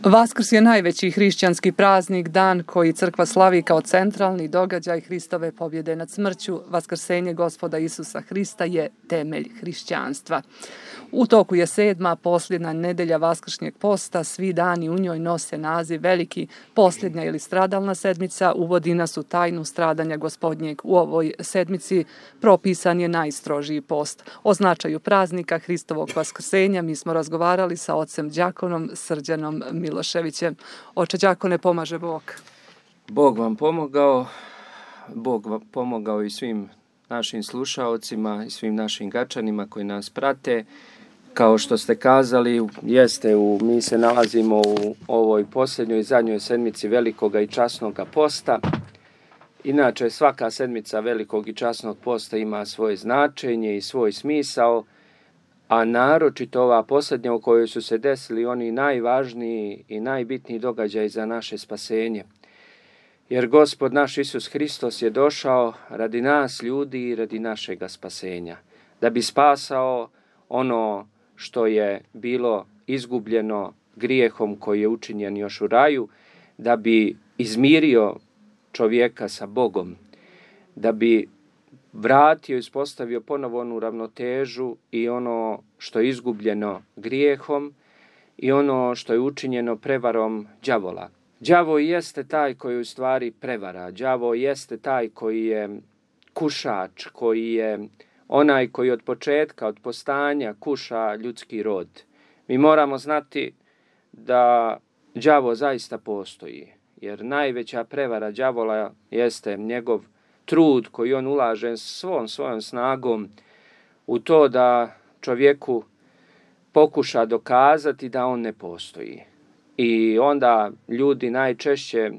Vaskrs je najveći hrišćanski praznik, dan koji crkva slavi kao centralni događaj Hristove pobjede nad smrću. Vaskrsenje Gospoda Isusa Hrista je temelj hrišćanstva. U toku je 7. posljednja nedelja Vaskršnjeg posta, svi dani u njoj nose naziv veliki. Posljednja ili stradalna sedmica uvodi nas u tajnu stradanja Gospodnjeg. U ovoj sedmici propisan je najstrožiji post. O značaju praznika Hristovog vaskrsenja mi smo razgovarali sa ocem đakonom Srđanom Miloševićem. Oče đakone, pomaže Bog. Bog vam pomogao, Bog vam pomogao i svim našim slušaocima i svim našim gačanima koji nas prate. Kao što ste kazali, mi se nalazimo u ovoj posljednjoj zadnjoj sedmici velikoga i časnoga posta. Inače, svaka sedmica velikog i časnog posta ima svoje značenje i svoj smisao, a naročito ova posljednja u kojoj su se desili oni najvažniji i najbitniji događaji za naše spasenje. Jer Gospod naš Isus Hristos je došao radi nas ljudi i radi našega spasenja, da bi spasao ono što je bilo izgubljeno grijehom koji je učinjen još u raju, da bi izmirio čovjeka sa Bogom, da bi vratio i uspostavio ponovo onu ravnotežu i ono što je izgubljeno grijehom i ono što je učinjeno prevarom đavola. Đavo jeste taj koji u stvari prevara, đavo jeste taj koji je kušač, koji je onaj koji od početka, od postanja kuša ljudski rod. Mi moramo znati da đavo zaista postoji, jer najveća prevara đavola jeste njegov trud koji on ulaže svom svojom snagom u to da čovjeku pokuša dokazati da on ne postoji. I onda ljudi najčešće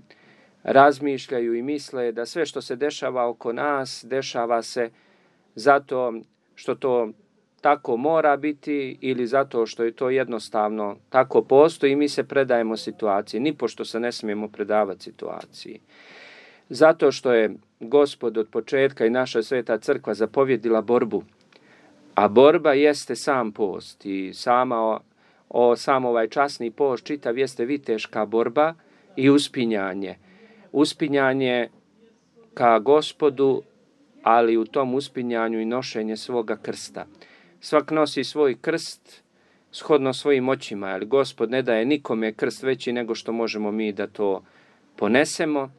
razmišljaju i misle da sve što se dešava oko nas, dešava se zato što to tako mora biti ili zato što je to jednostavno tako postoji i mi se predajemo situaciji. Nipošto se ne smijemo predavati situaciji. Zato što je Gospod od početka i naša sveta crkva zapovjedila borbu. A borba jeste sam post i sam ovaj časni post čitav jeste viteška borba i uspinjanje. Uspinjanje ka Gospodu, ali u tom uspinjanju i nošenje svoga krsta. Svak nosi svoj krst shodno svojim moćima, jer Gospod ne daje nikome krst veći nego što možemo mi da to ponesemo.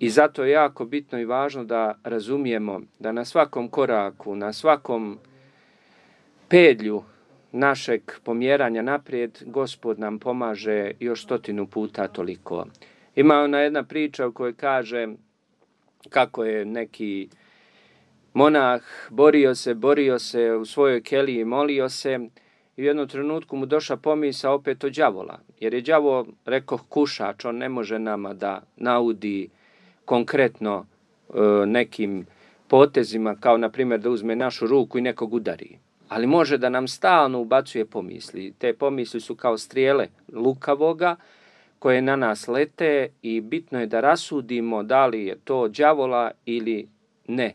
I zato je jako bitno i važno da razumijemo da na svakom koraku, na svakom pedlju našeg pomjeranja naprijed, Gospod nam pomaže još 100 puta toliko. Ima ona jedna priča u kojoj kaže kako je neki monah borio se u svojoj keliji, molio se i u jednom trenutku mu došla pomisao opet od đavola. Jer je đavo, rekoh, kušač, on ne može nama da naudi konkretno nekim potezima, kao na primjer da uzme našu ruku i nekog udari. Ali može da nam stalno ubacuje pomisli. Te pomisli su kao strijele lukavoga koje na nas lete i bitno je da rasudimo da li je to đavola ili ne.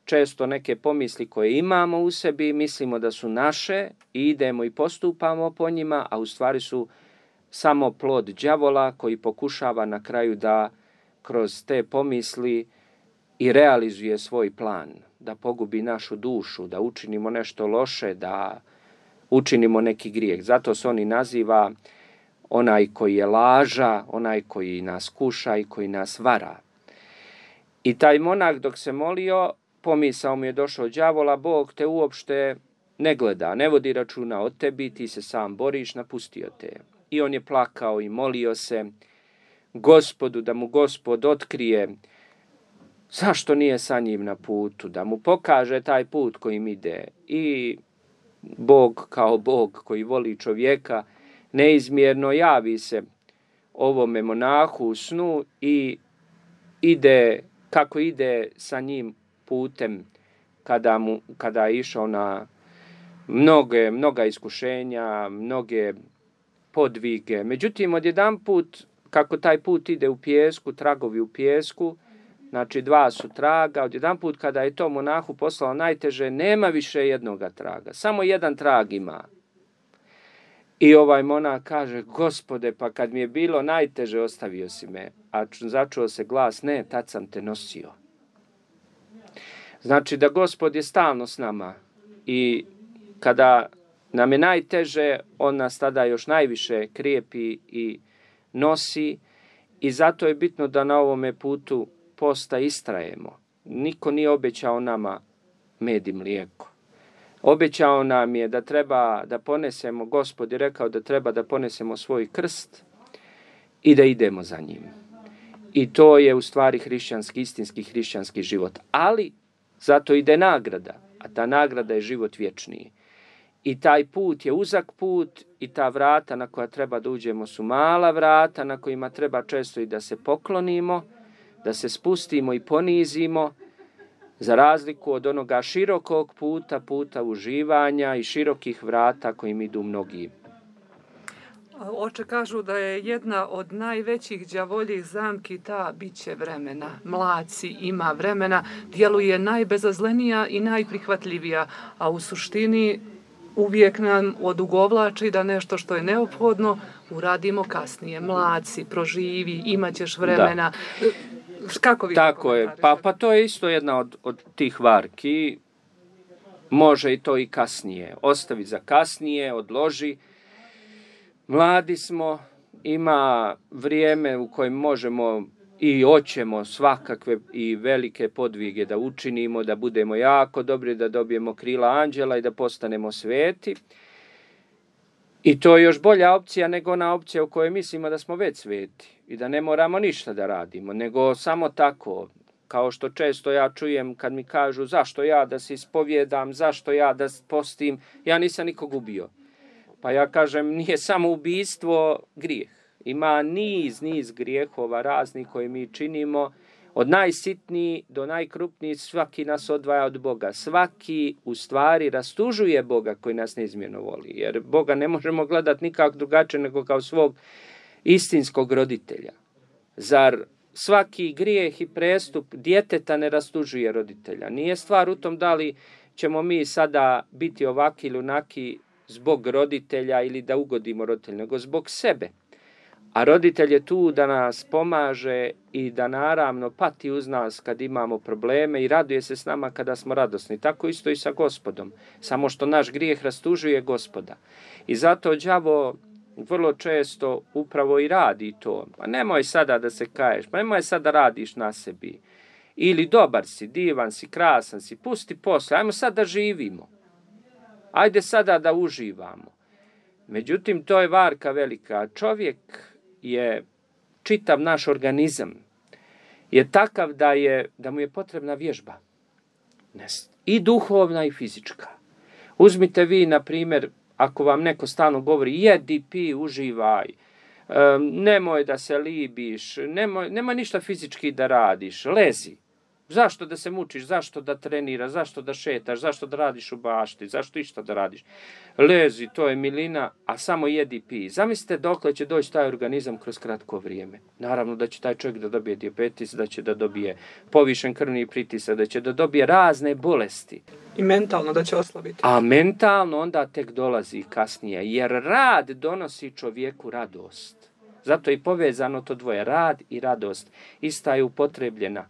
Često neke pomisli koje imamo u sebi mislimo da su naše i idemo i postupamo po njima, a u stvari su samo plod đavola koji pokušava na kraju da kroz te pomisli i realizuje svoj plan, da pogubi našu dušu, da učinimo nešto loše, da učinimo neki grijeh. Zato se oni naziva onaj koji je laža, onaj koji nas kuša i koji nas vara. I taj monah dok se molio, pomisao mu je došao đavola, Bog te uopšte ne gleda, ne vodi računa o tebi, ti se sam boriš, napustio te. I on je plakao i molio se Gospodu da mu Gospod otkrije zašto nije sa njim na putu, da mu pokaže taj put kojim ide. I Bog kao Bog koji voli čovjeka neizmjerno javi se ovome monahu u snu i kako ide sa njim putem kada je išao na mnoga iskušenja, mnoge podvige. Međutim, odjedanput, kako taj put ide u pijesku, tragovi u pijesku, znači 2 su traga, odjedanput kada je to monahu poslao najteže, nema više jednoga traga, samo jedan trag ima. I ovaj monah kaže, Gospode, pa kad mi je bilo najteže ostavio si me, a začuo se glas, ne, tad sam te nosio. Znači da Gospod je stalno s nama i kada nam je najteže, on nas tada još najviše krijepi i nosi i zato je bitno da na ovome putu posta istrajemo. Niko nije obećao nama med i mlijeko. Obećao nam je da treba da ponesemo, Gospod je rekao da treba da ponesemo svoj krst i da idemo za njim. I to je u stvari hrišćanski, istinski hrišćanski život. Ali zato ide nagrada, a ta nagrada je život vječniji. I taj put je uzak put i ta vrata na koja treba da uđemo su mala vrata na kojima treba često i da se poklonimo, da se spustimo i ponizimo, za razliku od onoga širokog puta, puta uživanja i širokih vrata kojim idu mnogi. Oče kažu da je jedna od najvećih đavoljih zamki ta biće vremena. Mlad si, ima vremena, djeluje najbezazlenija i najprihvatljivija, a u suštini uvijek nam odugovlači da nešto što je neophodno uradimo kasnije. Mlad si, proživi, imat ćeš vremena. Da. Kako vi tako je, pa to je isto jedna od tih varki. Može i to i kasnije. Ostavi za kasnije, odloži. Mladi smo, ima vrijeme u kojem možemo i hoćemo svakakve i velike podvige da učinimo, da budemo jako dobri, da dobijemo krila anđela i da postanemo sveti. I to je još bolja opcija nego ona opcija u kojoj mislimo da smo već sveti i da ne moramo ništa da radimo, nego samo tako, kao što često ja čujem kad mi kažu zašto ja da se ispovjedam, zašto ja da postim, ja nisam nikog ubio. Pa ja kažem, nije samo ubijstvo grijeh. Ima niz grijehova raznih koje mi činimo, od najsitnijih do najkrupnijih, svaki nas odvaja od Boga. Svaki u stvari rastužuje Boga koji nas neizmjerno voli. Jer Boga ne možemo gledati nikako drugačije nego kao svog istinskog roditelja. Zar svaki grijeh i prestup djeteta ne rastužuje roditelja? Nije stvar u tom da li ćemo mi sada biti ovaki ili onaki zbog roditelja ili da ugodimo roditelju, nego zbog sebe. A roditelj je tu da nas pomaže i da naravno pati uz nas kad imamo probleme i raduje se s nama kada smo radosni. Tako isto i sa Gospodom. Samo što naš grijeh rastužuje Gospoda. I zato đavo vrlo često upravo i radi to. Pa nemoj sada da se kaješ, pa nemoj sada radiš na sebi. Ili dobar si, divan si, krasan si, pusti posle, ajmo sad da živimo. Ajde sada da uživamo. Međutim, to je varka velika. Čovjek je, čitav naš organizam, je takav da mu je potrebna vježba. I duhovna i fizička. Uzmite vi, na primjer, ako vam neko stalno govori, jedi, pi, uživaj, nemoj da se libiš, nemoj ništa fizički da radiš, lezi. Zašto da se mučiš, zašto da treniraš, zašto da šetaš, zašto da radiš u bašti, zašto išta da radiš? Lezi, to je milina, a samo jedi i pij. Zamislite dokle će doći taj organizam kroz kratko vrijeme. Naravno da će taj čovjek da dobije dijabetes, da će da dobije povišen krvni pritisak, da će da dobije razne bolesti. I mentalno da će oslabiti. A mentalno onda tek dolazi kasnije, jer rad donosi čovjeku radost. Zato je povezano to dvoje, rad i radost. Ista je upotrebljena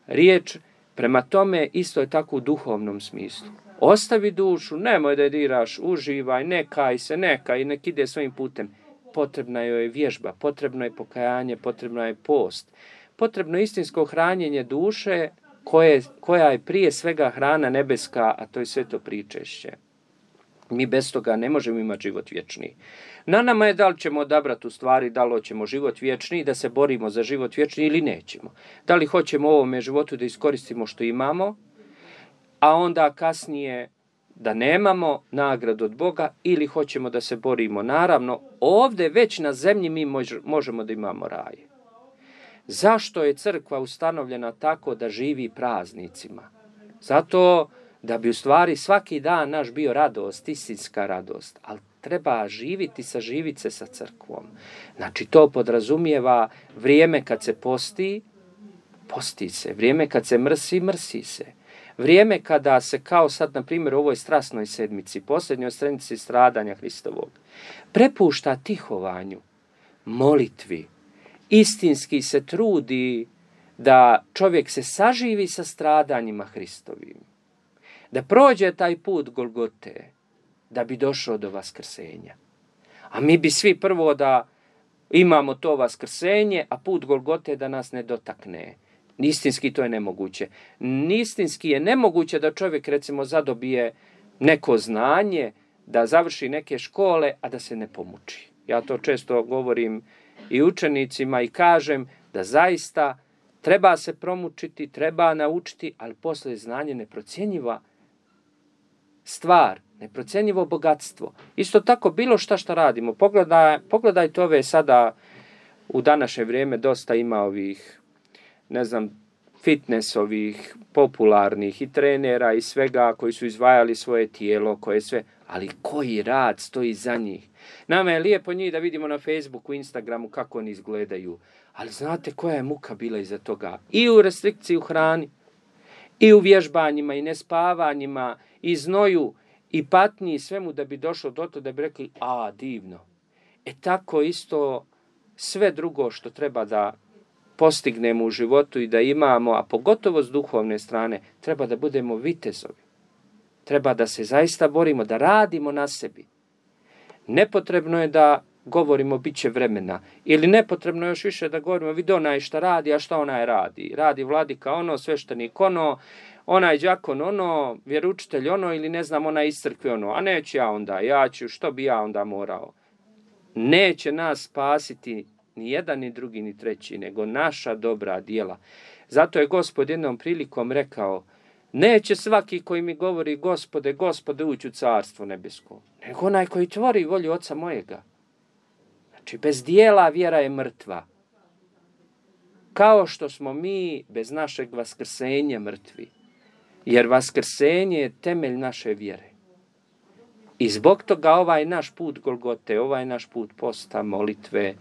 riječ, prema tome isto je tako u duhovnom smislu. Ostavi dušu, nemoj da je diraš, uživaj, nekaj se, nekaj, nek ide svojim putem. Potrebna joj je vježba, potrebno je pokajanje, potrebno je post. Potrebno je istinsko hranjenje duše koja je prije svega hrana nebeska, a to je sveto pričešće. Mi bez toga ne možemo imati život vječni. Na nama je da li ćemo odabrati u stvari, da li hoćemo život vječni, da se borimo za život vječni ili nećemo. Da li hoćemo u ovome životu da iskoristimo što imamo, a onda kasnije da nemamo nagradu od Boga, ili hoćemo da se borimo. Naravno, ovdje već na zemlji mi možemo da imamo raj. Zašto je crkva ustanovljena tako da živi praznicima? Zato da bi u stvari svaki dan naš bio radost, istinska radost, ali treba živiti, saživiti se sa crkvom. Znači to podrazumijeva vrijeme kad se posti, posti se, vrijeme kad se mrsi, mrsi se. Vrijeme kada se kao sad, na primjer, u ovoj strasnoj sedmici, posljednjoj sedmici stradanja Hristovog, prepušta tihovanju, molitvi, istinski se trudi da čovjek se saživi sa stradanjima Hristovim, da prođe taj put Golgote, da bi došao do vaskrsenja. A mi bi svi prvo da imamo to vaskrsenje, a put Golgote da nas ne dotakne. Istinski to je nemoguće. Istinski je nemoguće da čovjek, recimo, zadobije neko znanje, da završi neke škole, a da se ne pomuči. Ja to često govorim i učenicima i kažem da zaista treba se promučiti, treba naučiti, ali poslije znanje neprocjenjiva stvar, neprocjenjivo bogatstvo. Isto tako bilo šta radimo. Pogledajte ove sada, u današnje vrijeme dosta ima ovih, fitnessovih, popularnih i trenera i svega koji su izdvajali svoje tijelo, ali koji rad stoji za njih. Nama je lijepo njih da vidimo na Facebooku, Instagramu kako oni izgledaju, ali znate koja je muka bila iza toga? I u restrikciji u hrani, i u vježbanjima, i nespavanjima, i znoju, i patnji, i svemu da bi došlo do to da bi rekli, divno. Tako isto sve drugo što treba da postignemo u životu i da imamo, a pogotovo s duhovne strane, treba da budemo vitezovi. Treba da se zaista borimo, da radimo na sebi. Nepotrebno je da govorimo bit će vremena. Ili nepotrebno je još više da govorimo vidi onaj šta radi, a šta onaj radi. Radi vladika ono, sveštenik ono, onaj đakon ono, vjeroučitelj ono ili onaj iz crkve ono. A neću ja onda, što bi ja onda morao. Neće nas spasiti ni jedan, ni drugi, ni treći, nego naša dobra djela. Zato je Gospod jednom prilikom rekao, neće svaki koji mi govori Gospode, Gospode, ući u carstvo nebesko, nego onaj koji tvori volju Oca mojega. Znači, bez dijela vjera je mrtva. Kao što smo mi bez našeg vaskrsenja mrtvi. Jer vaskrsenje je temelj naše vjere. I zbog toga ovaj naš put Golgote, ovaj naš put posta, molitve,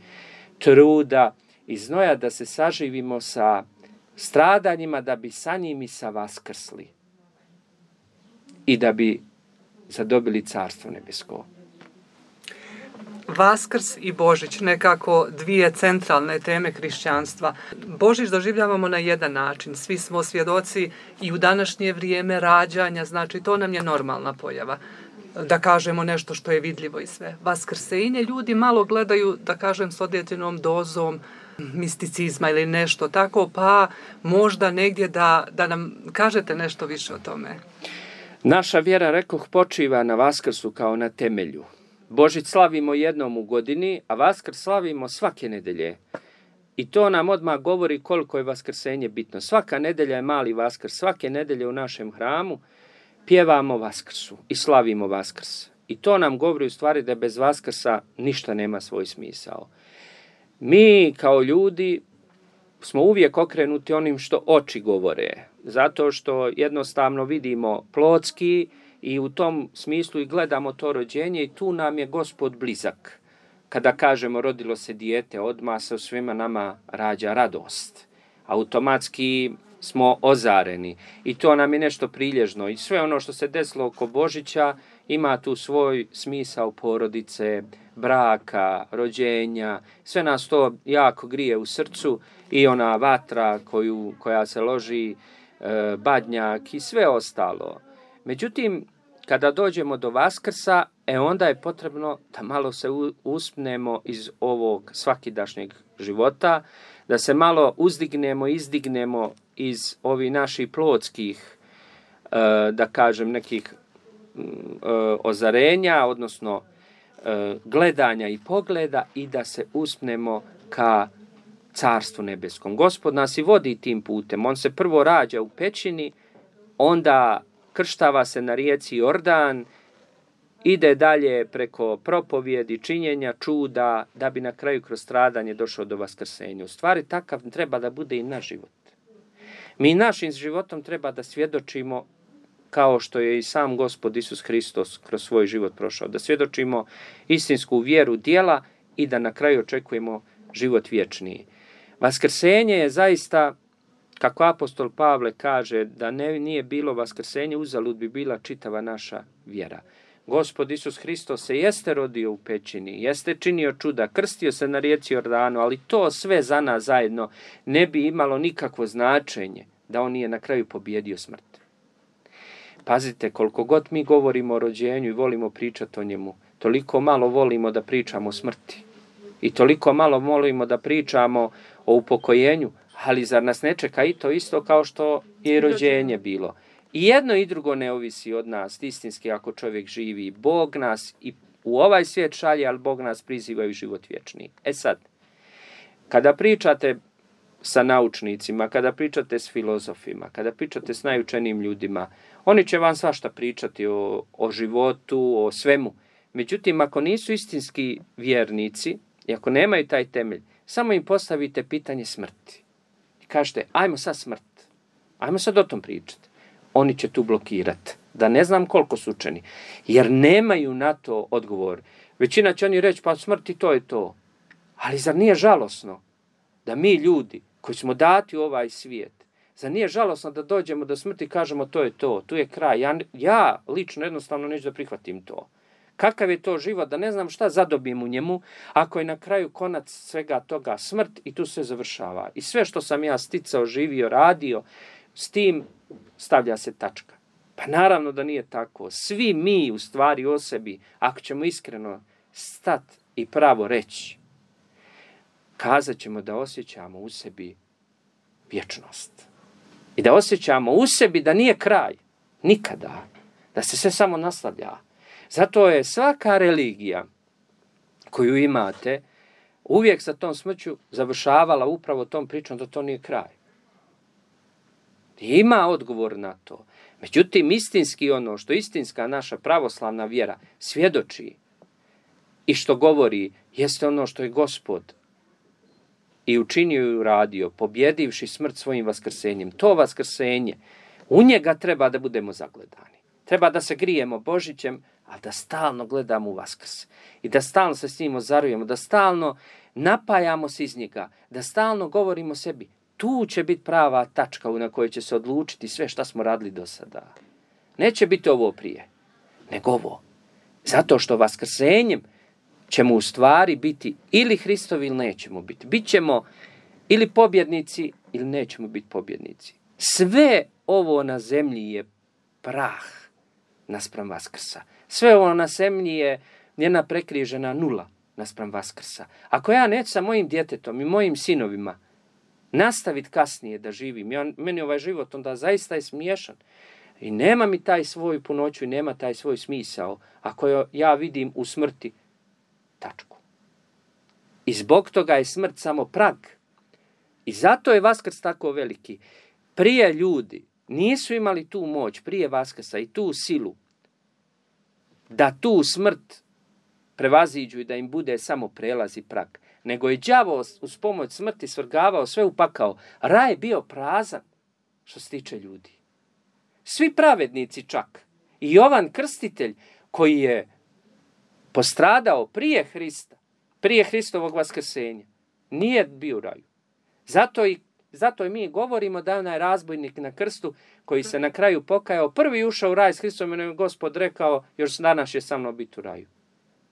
truda i znoja da se saživimo sa stradanjima da bi sa njim i sa vaskrsli i da bi zadobili carstvo nebesko. Vaskrs i Božić, nekako dvije centralne teme hrišćanstva. Božić doživljavamo na jedan način. Svi smo svjedoci i u današnje vrijeme rađanja, znači to nam je normalna pojava. Da kažemo nešto što je vidljivo i sve. Vaskrsenje ljudi malo gledaju, da kažem, s određenom dozom misticizma ili nešto tako, pa možda negdje da nam kažete nešto više o tome. Naša vjera, rekoh, počiva na Vaskrsu kao na temelju. Božić slavimo jednom u godini, a Vaskrs slavimo svake nedelje. I to nam odmah govori koliko je vaskrsenje bitno. Svaka nedelja je mali Vaskrs. Svake nedelje u našem hramu pjevamo Vaskrsu i slavimo Vaskrs. I to nam govori u stvari da bez Vaskrsa ništa nema svoj smisao. Mi kao ljudi smo uvijek okrenuti onim što oči govore. Zato što jednostavno vidimo plotski i u tom smislu i gledamo to rođenje i tu nam je Gospod blizak. Kada kažemo rodilo se dijete, odmah se u svima nama rađa radost. Automatski smo ozareni i to nam je nešto prilježno. I sve ono što se desilo oko Božića ima tu svoj smisao porodice, braka, rođenja. Sve nas to jako grije u srcu i ona vatra koja se loži, badnjak i sve ostalo. Međutim, kada dođemo do Vaskrsa, onda je potrebno da malo se uspnemo iz ovog svakidašnjeg života, da se malo uzdignemo, izdignemo iz ovih naših plotskih, da kažem, nekih ozarenja, odnosno gledanja i pogleda i da se uspnemo ka carstvu nebeskom. Gospod nas i vodi tim putem. On se prvo rađa u pećini, onda krštava se na rijeci Jordan, ide dalje preko propovjedi, činjenja, čuda, da bi na kraju kroz stradanje došao do vaskrsenja. U stvari, takav treba da bude i naš život. Mi našim životom treba da svjedočimo kao što je i sam Gospod Isus Hristos kroz svoj život prošao. Da svjedočimo istinsku vjeru djela i da na kraju očekujemo život vječniji. Vaskrsenje je zaista kako apostol Pavle kaže da nije bilo vaskrsenje, uzalud bi bila čitava naša vjera. Gospod Isus Hristos se jeste rodio u pećini, jeste činio čuda, krstio se na rijeci Jordanu, ali to sve za nas zajedno ne bi imalo nikakvo značenje da on nije na kraju pobjedio smrt. Pazite, koliko god mi govorimo o rođenju i volimo pričati o njemu, toliko malo volimo da pričamo o smrti. I toliko malo volimo da pričamo o upokojenju, ali zar nas ne čeka i to isto kao što je rođenje bilo? I jedno i drugo ne ovisi od nas, istinski ako čovjek živi. Bog nas i u ovaj svijet šalje, ali Bog nas priziva i u život vječni. E sad, kada pričate sa naučnicima, kada pričate s filozofima, kada pričate s najučenijim ljudima, oni će vam svašta pričati o životu, o svemu. Međutim, ako nisu istinski vjernici i ako nemaju taj temelj, samo im postavite pitanje smrti. I kažete, ajmo sad smrt, ajmo sad o tom pričati. Oni će tu blokirati. Da ne znam koliko su učeni. Jer nemaju na to odgovor. Većina će oni reći, pa smrti to je to. Ali zar nije žalosno da mi ljudi koji smo dati u ovaj svijet, zar nije žalosno da dođemo do smrti i kažemo to je to, tu je kraj. Ja lično jednostavno neću da prihvatim to. Kakav je to život, da ne znam šta zadobijem u njemu, ako je na kraju konac svega toga smrt i tu se završava. I sve što sam ja sticao, živio, radio, s tim stavlja se tačka. Pa naravno da nije tako. Svi mi u stvari o sebi, ako ćemo iskreno stati i pravo reći, kazat ćemo da osjećamo u sebi vječnost. I da osjećamo u sebi da nije kraj. Nikada. Da se sve samo nastavlja. Zato je svaka religija koju imate uvijek sa tom smrću završavala upravo tom pričom da to nije kraj. Ima odgovor na to. Međutim, istinski ono što istinska naša pravoslavna vjera svjedoči i što govori jeste ono što je Gospod i učinio i uradio, pobjedivši smrt svojim vaskrsenjem. To vaskrsenje, u njega treba da budemo zagledani. Treba da se grijemo Božićem, a da stalno gledamo u Vaskrs. I da stalno se s njim ozarujemo, da stalno napajamo se iz njega, da stalno govorimo sebi. Tu će biti prava tačka na kojoj će se odlučiti sve što smo radili do sada. Neće biti ovo prije, nego ovo. Zato što vaskrsenjem ćemo u stvari biti ili Hristovi ili nećemo biti. Bićemo ili pobjednici ili nećemo biti pobjednici. Sve ovo na zemlji je prah naspram Vaskrsa. Sve ovo na zemlji je njena prekrižena nula naspram Vaskrsa. Ako ja neću sa mojim djetetom i mojim sinovima nastaviti kasnije da živim, meni ovaj život onda zaista je smiješan. I nema mi taj svoj punoću i nema taj svoj smisao ako ja vidim u smrti tačku. I zbog toga je smrt samo prag. I zato je Vaskrs tako veliki. Prije ljudi nisu imali tu moć, prije Vaskrsa i tu silu, da tu smrt prevaziđu i da im bude samo prelaz i prag. Nego je đavo uz pomoć smrti svrgavao sve u pakao. Raj je bio prazan što se tiče ljudi. Svi pravednici čak. I Jovan Krstitelj koji je postradao prije Hrista, prije Hristovog vaskrsenja, nije bio u raju. Zato i mi govorimo da je onaj razbojnik na krstu koji se na kraju pokajao, prvi ušao u raj s Hristom i Gospod rekao, još danas je sa mnom biti u raju.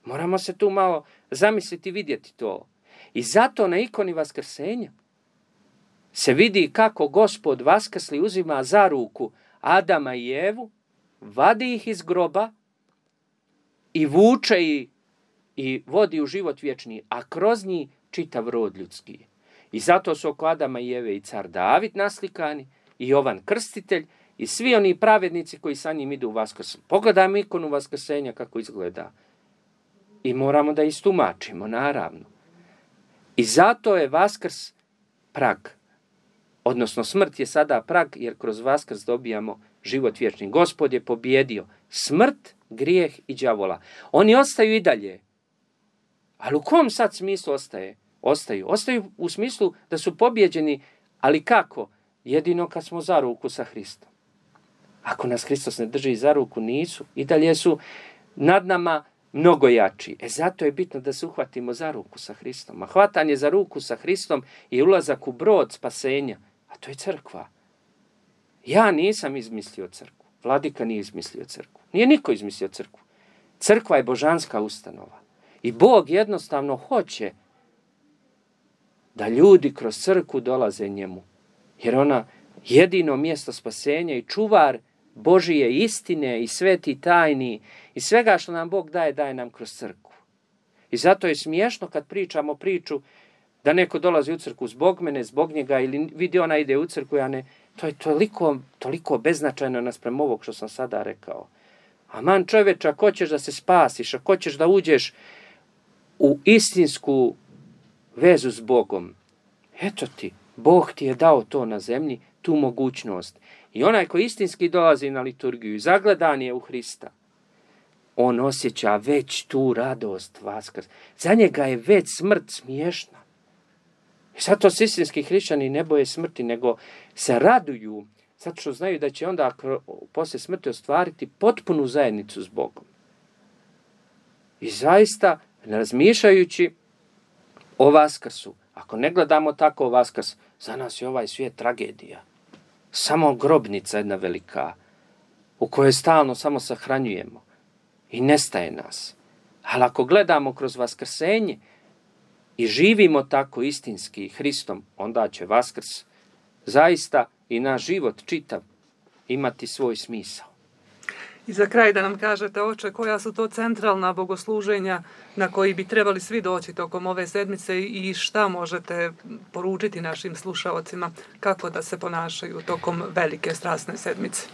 Moramo se tu malo zamisliti i vidjeti to. I zato na ikoni vaskrsenja se vidi kako Gospod vaskrsli uzima za ruku Adama i Evu, vadi ih iz groba i vuče ih i vodi u život vječni, a kroz njih čitav rod ljudski. I zato su oko Adama i Eve i car David naslikani, i Jovan Krstitelj, i svi oni pravednici koji sa njim idu u Vaskrs. Pogledajmo ikonu vaskrsenja kako izgleda. I moramo da istumačimo, naravno. I zato je Vaskrs prag. Odnosno smrt je sada prag, jer kroz Vaskrs dobijamo život vječni. Gospod je pobjedio smrt, grijeh i đavola. Oni ostaju i dalje. Ali u kom sad smislu ostaju? Ostaju u smislu da su pobjeđeni, ali kako? Jedino kad smo za ruku sa Hristom. Ako nas Hristos ne drži za ruku, nisu. I dalje su nad nama mnogo jači. Zato je bitno da se uhvatimo za ruku sa Hristom. A hvatanje za ruku sa Hristom je ulazak u brod spasenja. A to je crkva. Ja nisam izmislio crkvu. Vladika nije izmislio crkvu. Nije niko izmislio crkvu. Crkva je božanska ustanova. I Bog jednostavno hoće da ljudi kroz crkvu dolaze njemu. Jer ona jedino mjesto spasenja i čuvar Božije istine i sveti tajni i svega što nam Bog daje, daje nam kroz crkvu. I zato je smiješno kad pričamo priču da neko dolazi u crkvu zbog mene, zbog njega ili vidi ona ide u crkvu, ja ne. To je toliko beznačajno naspram ovog što sam sada rekao. Aman čovječe, ako hoćeš da se spasiš, ako hoćeš da uđeš u istinsku vezu s Bogom, eto ti, Bog ti je dao to na zemlji, tu mogućnost. I onaj koji istinski dolazi na liturgiju i zagledan je u Hrista, on osjeća već tu radost Vaskrsa. Za njega je već smrt smiješna. I zato se istinski hrišćani ne boje smrti, nego se raduju, zato što znaju da će onda poslije smrti ostvariti potpunu zajednicu s Bogom. I zaista, razmišljajući o Vaskrsu, ako ne gledamo tako Vaskrs, za nas je ovaj svijet tragedija. Samo grobnica jedna velika, u kojoj stalno samo sahranjujemo i nestaje nas. Ali ako gledamo kroz vaskrsenje i živimo tako istinski Hristom, onda će Vaskrs zaista i naš život čitav imati svoj smisao. I za kraj da nam kažete, oče, koja su to centralna bogosluženja na koji bi trebali svi doći tokom ove sedmice i šta možete poručiti našim slušaocima kako da se ponašaju tokom velike strasne sedmice?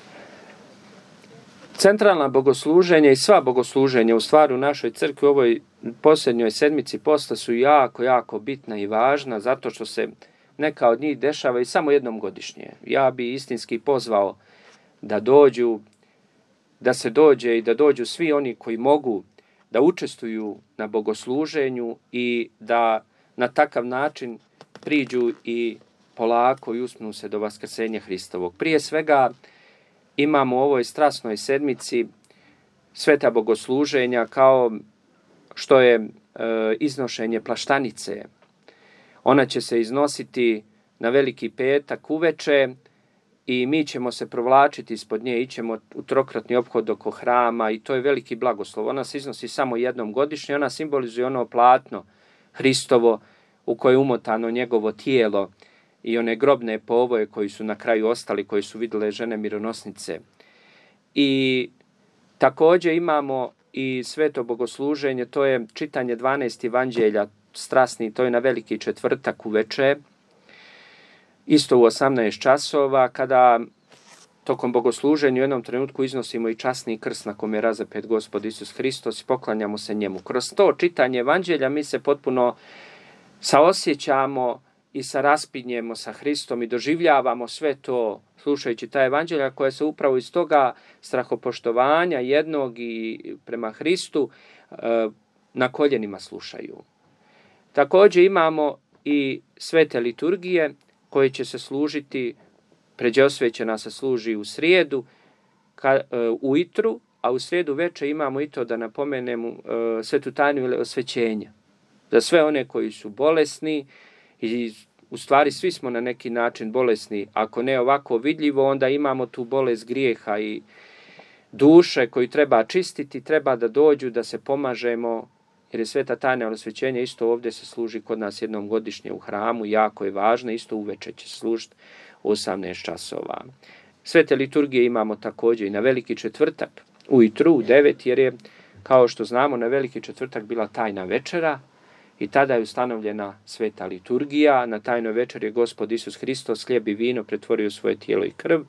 Centralna bogosluženja i sva bogosluženja u stvari u našoj crkvi u ovoj posljednjoj sedmici posta su jako, jako bitna i važna zato što se neka od njih dešava i samo jednom godišnje. Ja bi istinski pozvao da se dođe i da dođu svi oni koji mogu da učestvuju na bogosluženju i da na takav način priđu i polako i uspnu se do vaskrsenja Hristovog. Prije svega imamo u ovoj strasnoj sedmici sveta bogosluženja kao što je iznošenje plaštanice. Ona će se iznositi na Veliki petak uveče i mi ćemo se provlačiti ispod nje, ićemo u trokratni ophod oko hrama i to je veliki blagoslov. Ona se iznosi samo jednom godišnje, ona simbolizuje ono platno Hristovo u koje je umotano njegovo tijelo i one grobne povoje koji su na kraju ostali, koji su vidjele žene mironosnice. I također imamo i sveto bogosluženje, to je čitanje 12 evanđelja strasni, to je na Veliki četvrtak uveče, isto u 18 časova, kada tokom bogosluženja u jednom trenutku iznosimo i časni krst na kome je razapet Gospod Isus Hristos i poklanjamo se njemu. Kroz to čitanje evanđelja mi se potpuno saosjećamo i raspinjemo sa Hristom i doživljavamo sve to slušajući ta evanđelja koja se upravo iz toga strahopoštovanja jednog i prema Hristu na koljenima slušaju. Također imamo i svete liturgije koje će se služiti, pređe osvećena se služi u srijedu ujutru, a u srijedu večer imamo i to da napomenemo svetu tajnu osvećenja. Za sve one koji su bolesni i u stvari svi smo na neki način bolesni, ako ne ovako vidljivo, onda imamo tu bolest grijeha i duše koju treba čistiti, treba da dođu, da se pomažemo, jer je sveta tajna osvećenja isto ovdje se služi kod nas jednom godišnje u hramu, jako je važno, isto uveče će služiti u 18 časova. Svete liturgije imamo također i na Veliki četvrtak, ujutru u 9, jer je, kao što znamo, na Veliki četvrtak bila tajna večera i tada je ustanovljena sveta liturgija. Na tajnoj večeri je Gospod Isus Hristos hlijeb i vino pretvorio svoje tijelo i krv.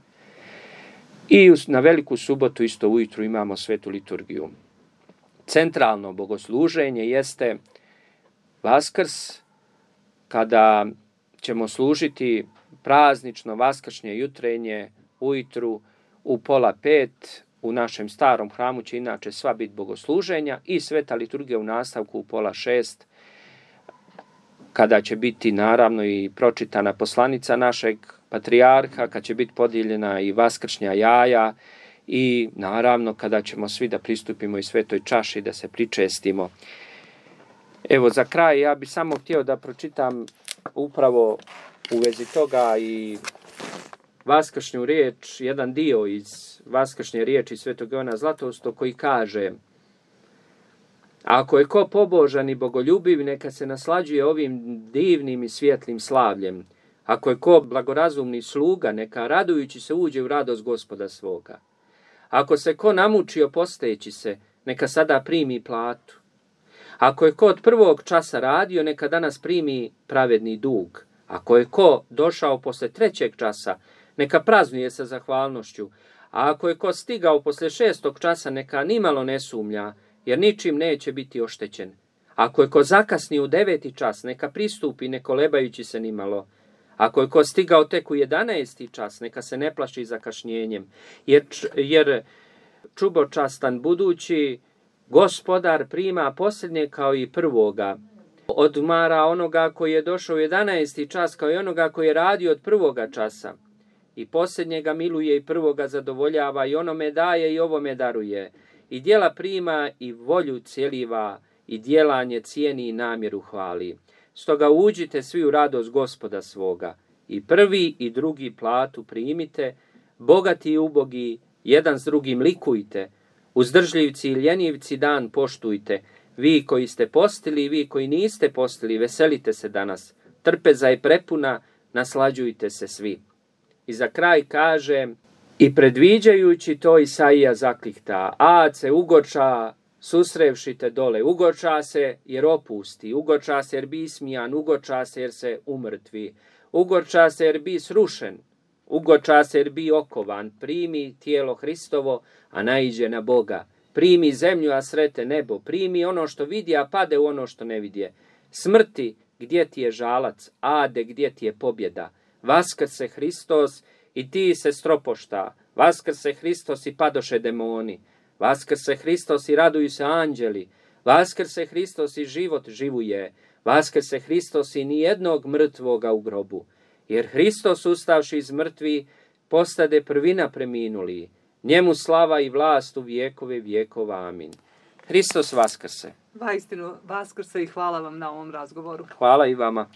I na Veliku subotu isto ujutru imamo svetu liturgiju. Centralno bogosluženje jeste Vaskrs, kada ćemo služiti praznično vaskršnje jutrenje ujutru u 4:30. U našem starom hramu će inače sva biti bogosluženja i sveta liturgija u nastavku u 5:30, kada će biti naravno i pročitana poslanica našeg patrijarha, kad će biti podijeljena i vaskršnja jaja i naravno kada ćemo svi da pristupimo i svetoj čaši da se pričestimo. Evo za kraj ja bih samo htio da pročitam upravo u vezi toga i vaskršnju riječ, jedan dio iz vaskršnje riječi Svetog Ivana Zlatoustog koji kaže: ako je ko pobožan i bogoljubiv, neka se naslađuje ovim divnim i svjetlim slavljem. Ako je ko blagorazumni sluga, neka radujući se uđe u radost Gospoda svoga. Ako se ko namučio posteći se, neka sada primi platu. Ako je ko od prvog časa radio, neka danas primi pravedni dug. Ako je ko došao posle 3. časa, neka praznuje sa zahvalnošću. A ako je ko stigao posle 6. časa, neka nimalo ne sumnja, jer ničim neće biti oštećen. Ako je ko zakasni u 9. čas, neka pristupi ne kolebajući se nimalo. Ako je ko stigao tek u 11. čas, neka se ne plaši zakašnjenjem, jer čubočastan budući Gospodar prima posljednje kao i prvoga. Odmara onoga koji je došao u 11. čas kao i onoga koji je radio od 1. časa. I posljednjega miluje i prvoga zadovoljava, i onome daje i ovome daruje. I djela prima i volju cjeliva, i djelanje cijeni i namjeru hvali. Stoga uđite svi u radost Gospoda svoga. I prvi i drugi platu primite, bogati i ubogi, jedan s drugim likujte. Uzdržljivci i ljenivci dan poštujte. Vi koji ste postili i vi koji niste postili, veselite se danas. Trpeza je prepuna, naslađujte se svi. I za kraj kaže: i predviđajući to Isaija zaklihta: Ace, ugoča, susrevši te dole, ugoča se jer opusti, ugoča se jer bi ismijan, ugoča se jer se umrtvi, ugoča se jer bi srušen, ugoča se jer bi okovan, primi tijelo Hristovo, a naiđe na Boga. Primi zemlju, a srete nebo, primi ono što vidi, a pade u ono što ne vidje. Smrti, gdje ti je žalac, ade, gdje ti je pobjeda. Vaskrse Hristos i ti se stropošta, vaskrse Hristos i padoše demoni, vaskrse Hristos i raduju se anđeli, vaskrse Hristos i život živuje, vaskrse Hristos i nijednog mrtvoga u grobu. Jer Hristos ustavši iz mrtvi postade prvina preminuli, njemu slava i vlast u vjekove vjekova. Amin. Hristos vaskrse. Vaistinu vaskrse i hvala vam na ovom razgovoru. Hvala i vama.